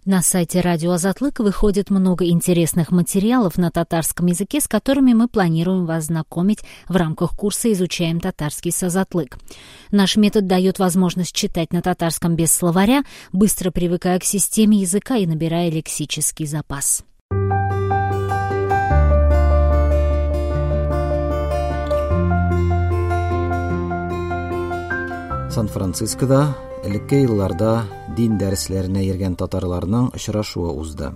На сайте Радио Азатлык выходит много интересных материалов на татарском языке, с которыми мы планируем вас знакомить в рамках курса «Изучаем татарский с Азатлык». Наш метод дает возможность читать на татарском без словаря, быстро привыкая к системе языка и набирая лексический запас. Сан-Францискода элекке елларда дин дәресләренә йөргән татарларның очрашуы узды.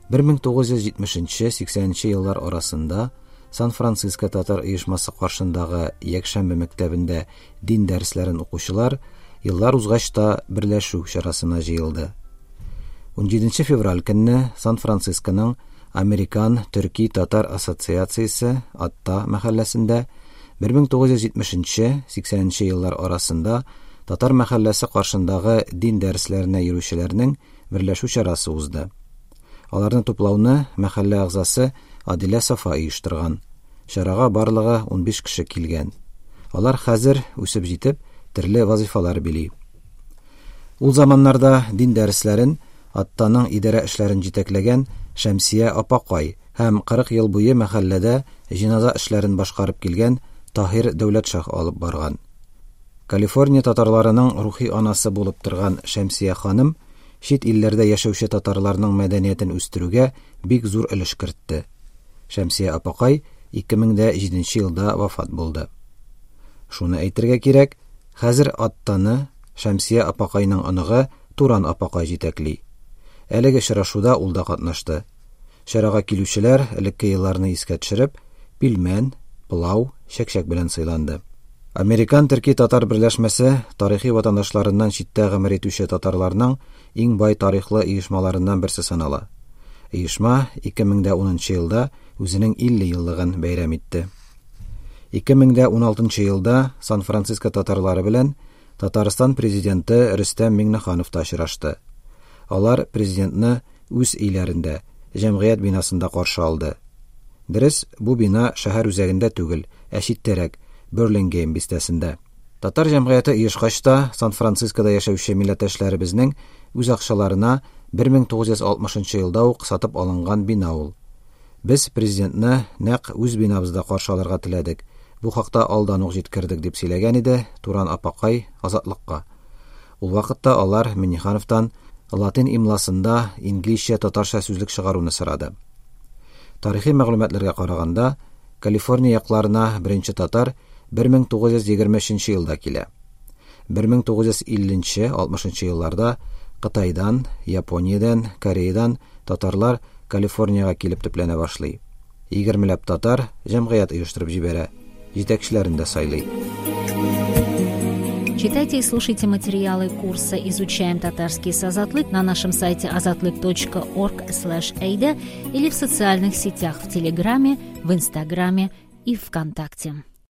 1970-80 еллар арасында Сан-Франциско татар оешмасы каршындагы якшәмбе мәктәбендә дин дәресләрен укучылар еллар узгач та берләшү чарасына җыелды. 17 февраль көнне Сан-Францисконың Американ Төрки Татар Ассоциациясе Атта мәхәлләсендә 1970-80 еллар арасында татар мәхәлләсе каршындагы дин дәресләренә йөрүчеләрнең берләшү чарасы узды. Аларны туплауны мәхәллә әгъзасы Адилә Сафа оештырган. Чарага барлыгы 15 кеше килгән. Алар хәзер үсеп җитеп, төрле вазифалар били. Ул заманнарда дин дәресләрен Аттаның идарә эшләрен җитәкләгән Шәмсия апакай һәм 40 ел буе мәхәлләдә җиназа эшләрен башкарып килгән Таһир Дәүләтшах алып барган. Калифорния татарларының рухи анасы булып торган Шәмсия ханым чит илләрдә яшәүче татарларның мәдәниятен үстерүгә бик зур өлеш кертте. Шәмсия апакай 2007 елда вафат булды. Шуны әйтергә кирәк, хәзер Аттаны Шәмсия апакайның оныгы Туран апакай җитәкли. Әлеге очрашуда ул да катнашты. Чарага килүчеләр элекке елларны искә төшереп, пилмән, пылау, чәкчәк белән сыйланды. Американ төрки татар берләшмәсе тарихи ватандашларыннан читтә гомер итүче татарларның иң бай тарихлы оешмаларыннан берсе санала. Оешма 2010 елда үзенең 50 еллыгын бәйрәм итте. 2016 елда Сан-Франциско татарлары белән Татарстан президенты Рөстәм Миңнеханов та очрашты. Алар президентны үз өйләрендә, җәмгыять бинасында каршы алды. Дөрес, бу бина шәһәр үзәгендә түгел, ә читтәрәк, Берлингейм бистәсендә. Татар җәмгыяте оешкач та Сан-Францискода яшәүче милләттәшләребезнең үз акчаларына 1960 елда ук сатып алынган бина ул. Без президентны нәкъ үз бинабызда каршы алырга теләдек. Бу хакта алдан ук җиткердек, дип сөйләгән иде Туран апакай Азатлыкка. Ул вакытта алар Миңнехановтан латин имласында инглизчә татарча сүзлек чыгаруны сорады. Тарихи мәгълүматларга караганда, Калифорния якларына беренче татар 1923 елда килә. 1950-60 елларда Кытайдан, Япониядән, Кореядан татарлар Калифорнияга килеп төпләнә башлый. 20ләп татар җәмгыять оештырып җибәрә, җитәкчеләрен дә сайлый. Читайте и слушайте материалы курса «Изучаем татарский с Азатлык» на нашем сайте azatlyk.org/eyda или в социальных сетях в Телеграме, в Инстаграме и ВКонтакте.